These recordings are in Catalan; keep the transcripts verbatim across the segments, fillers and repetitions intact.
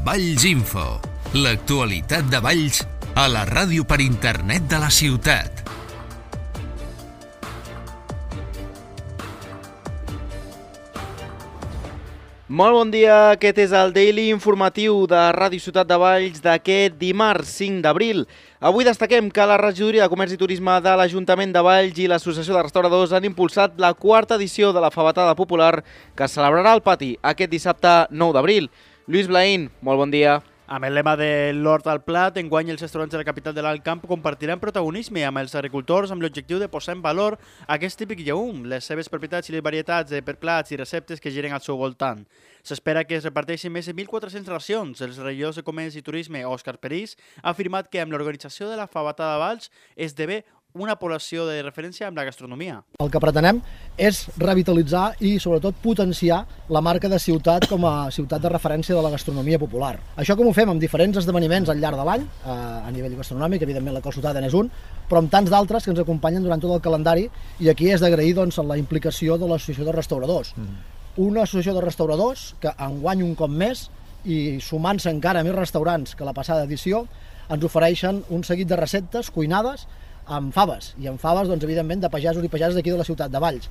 Valls Info, l'actualitat de Valls a la ràdio per internet de la ciutat. Molt bon dia, aquest és el Daily Informatiu de Ràdio Ciutat de Valls d'aquest dimarts cinc d'abril. Avui destaquem que la Regidoria de Comerç i Turisme de l'Ajuntament de Valls i l'Associació de Restauradors han impulsat la quarta edició de la Fabatada Popular que es celebrarà al pati aquest dissabte nou d'abril. Lluís Blaín, molt bon dia. Amb el lema de l'Hort al Plat, enguany els restaurants de la capital de l'Alt Camp compartiran protagonisme amb els agricultors amb l'objectiu de posar en valor aquest típic llegum, les seves propietats i les varietats de plats i receptes que giren al seu voltant. S'espera que es reparteixin més de mil quatre-cents racions. Els regidors de Comerç i Turisme, Òscar Perís, ha afirmat que amb l'organització de la Fabatada de Valls esdevé una població de referència amb la gastronomia. El que pretenem és revitalitzar i, sobretot, potenciar la marca de ciutat com a ciutat de referència de la gastronomia popular. Això com ho fem amb diferents esdeveniments al llarg de l'any, a nivell gastronòmic, evidentment la Col Ciutat n'és un, però amb tants d'altres que ens acompanyen durant tot el calendari, i aquí és d'agrair doncs, la implicació de l'Associació de Restauradors. Mm. Una associació de restauradors que enguany un cop més, i sumant-se encara més restaurants que la passada edició, ens ofereixen un seguit de receptes cuinades amb faves, i amb faves, doncs, evidentment, de pagesos i pageses d'aquí de la ciutat de Valls.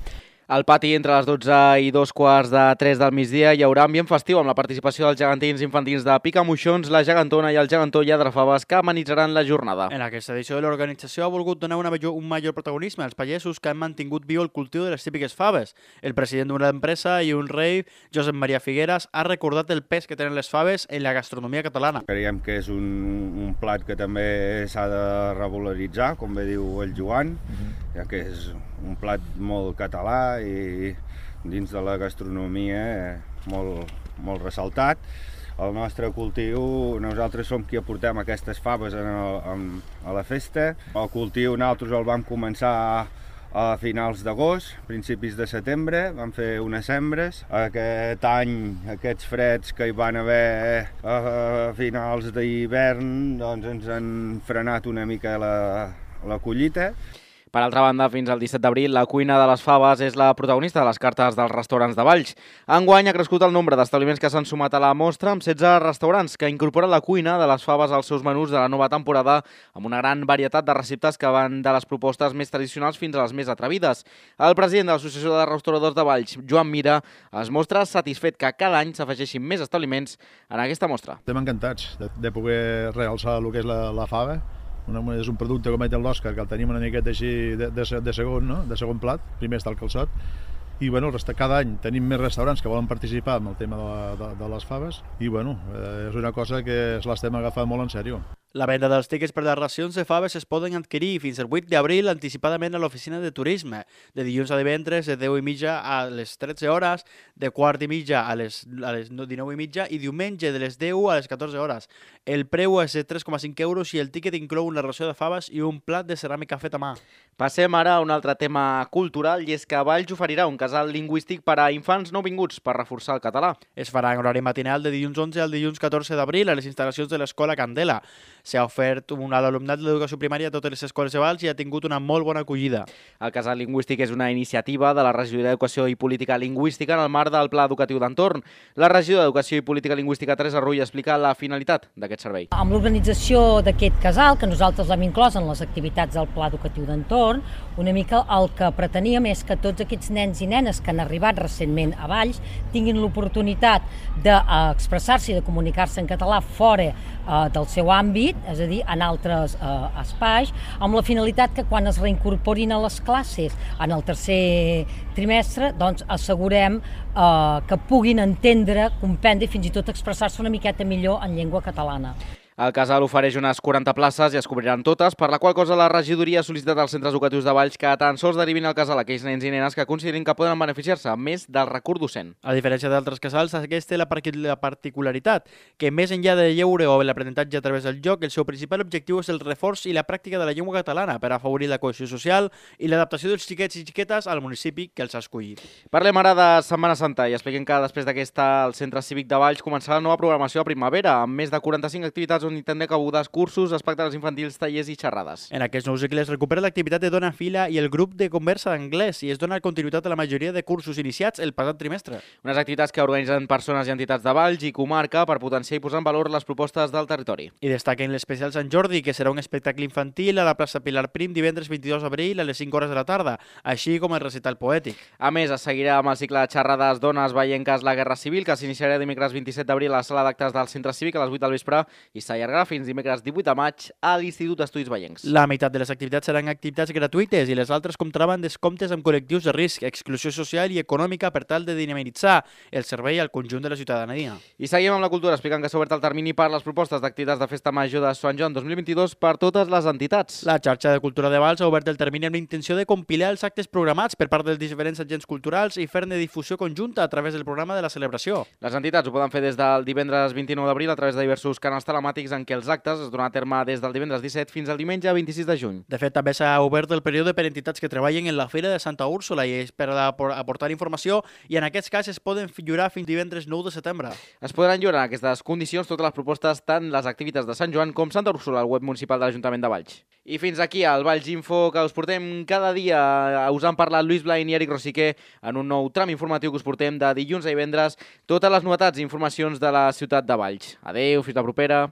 Al pati, entre les dotze i dos quarts de tres del migdia, hi haurà ambient festiu amb la participació dels gegantins infantils de Picamoixons, la Gegantona i el Gegantó Lladrafaves que amenitzaran la jornada. En aquesta edició de l'organització ha volgut donar una major, un major protagonisme als pagesos que han mantingut viu el cultiu de les típiques faves. El president d'una empresa i un rei, Josep Maria Figueras, ha recordat el pes que tenen les faves en la gastronomia catalana. Creiem que és un, un plat que també s'ha de revaloritzar, com bé diu el Joan, uh-huh. ja que és un plat molt català i dins de la gastronomia molt, molt ressaltat. El nostre cultiu, nosaltres som qui aportem aquestes faves en el, en, a la festa. El cultiu nosaltres el vam començar a finals d'agost, principis de setembre, vam fer unes sembres. Aquest any, aquests freds que hi van haver a finals d'hivern, doncs ens han frenat una mica la, la collita. Per altra banda, fins al disset d'abril, la cuina de les faves és la protagonista de les cartes dels restaurants de Valls. Enguany ha crescut el nombre d'establiments que s'han sumat a la mostra amb setze restaurants que incorporen la cuina de les faves als seus menús de la nova temporada amb una gran varietat de receptes que van de les propostes més tradicionals fins a les més atrevides. El president de l'Associació de Restauradors de Valls, Joan Mira, es mostra satisfet que cada any s'afegeixin més establiments en aquesta mostra. Estem encantats de, de poder realçar el que és la, la fava. Una, és un producte com l'Òscar, que el tenim una miqueta així de, de, de, segon, no? de segon plat, primer està el calçot, i bueno, cada any tenim més restaurants que volen participar en el tema de, la, de, de les faves, i bueno, eh, és una cosa que l'estem agafant molt en sèrio. La venda dels tiquets per les racions de faves es poden adquirir fins al vuit d'abril anticipadament a l'oficina de turisme, de dilluns a divendres de deu i mitja a les tretze hores, de quart i mitja a les, a les dinou i mitja i diumenge de les deu a les catorze hores. El preu és de tres coma cinc euros i el tiquet inclou una ració de faves i un plat de ceràmica fet a mà. Passem ara a un altre tema cultural, i és que Valls oferirà un casal lingüístic per a infants nouvinguts per reforçar el català. Es farà en horari matinal de dilluns onze al dilluns catorze d'abril a les instal·lacions de l'Escola Candela. S'ha ofert un a l'alumnat de l'educació primària a totes les escoles de Valls i ha tingut una molt bona acollida. El casal lingüístic és una iniciativa de la Regidoria d'Educació i Política Lingüística en el marc del Pla Educatiu d'Entorn. La Regidora d'Educació i Política Lingüística, Teresa Rull, explica la finalitat d'aquest servei. Amb l'organització d'aquest casal, que nosaltres l'hem inclòs en les activitats del Pla Educatiu d'Entorn, una mica el que preteníem és que tots aquests nens i nenes que han arribat recentment a Valls tinguin l'oportunitat d'expressar-se i de comunicar-se en català fora eh, del seu àmbit, és a dir, en altres eh, espais, amb la finalitat que quan es reincorporin a les classes en el tercer trimestre, doncs assegurem eh, que puguin entendre, comprendre i fins i tot expressar-se una miqueta millor en llengua catalana. El casal ofereix unes quaranta places i es cobriran totes, per la qual cosa la regidoria ha sol·licitat als centres educatius de Valls que tan sols derivin al casal aquells nens i nenes que considerin que poden beneficiar-se més del recurs docent. A diferència d'altres casals, aquesta és la particularitat, que més enllà del lleure o l'aprenentatge a través del joc, el seu principal objectiu és el reforç i la pràctica de la llengua catalana per afavorir la cohesió social i l'adaptació dels xiquets i xiquetes al municipi que els ha escollit. Parlem ara de Setmana Santa i expliquem que després d'aquesta el Centre Cívic de Valls començarà la nova programació a primavera amb més de quaranta-cinc activitats activitats on hi tindrà cabudes, cursos, espectacles infantils, tallers i xerrades. En aquests nous cicles recupera l'activitat de Dona Fila i el grup de conversa d'anglès i es dona continuïtat a la majoria de cursos iniciats el passat trimestre. Unes activitats que organitzen persones i entitats de Valls i comarca per potenciar i posar en valor les propostes del territori. I destaquen l'especial Sant Jordi, que serà un espectacle infantil a la plaça Pilar Prim divendres vint-i-dos d'abril a les cinc hores de la tarda, així com el recital poètic. A més, es seguirà amb el cicle de xerrades Dones Vallenques la Guerra Civil, que s'iniciarà dimecres vint-i-set d'abril a la sala d'actes del Centre Cívic a les vuit del vespre i s'allargarà fins dimecres divuit de maig a l'Institut d'Estudis Vallencs. La meitat de les activitats seran activitats gratuïtes i les altres comptaran descomptes amb col·lectius de risc, exclusió social i econòmica per tal de dinamitzar el servei al conjunt de la ciutadania. I seguim amb la cultura, explicant que s'ha obert el termini per les propostes d'activitats de Festa Major de Sant Joan dos mil vint-i-dos per totes les entitats. La xarxa de cultura de Valls ha obert el termini amb la intenció de compilar els actes programats per part dels diferents agents culturals i fer-ne difusió conjunta a través del programa de la celebració. Les entitats ho poden fer des del divendres vint-i-nou d'abril a través de diversos canals telemàtics en què els actes es donen a terme des del divendres disset fins al diumenge vint-i-sis de juny. De fet, també s'ha obert el període per entitats que treballen en la Fira de Santa Úrsula i és per aportar informació i en aquests cas es poden lliurar fins divendres nou de setembre. Es podran lliurar en aquestes condicions totes les propostes, tant les activitats de Sant Joan com Santa Úrsula al web municipal de l'Ajuntament de Valls. I fins aquí el Valls Info, que us portem cada dia. Us han parlat Lluís Blain i Eric Rosiquer en un nou tram informatiu que us portem de dilluns a divendres totes les novetats i informacions de la ciutat de Valls. Adéu, fins la propera.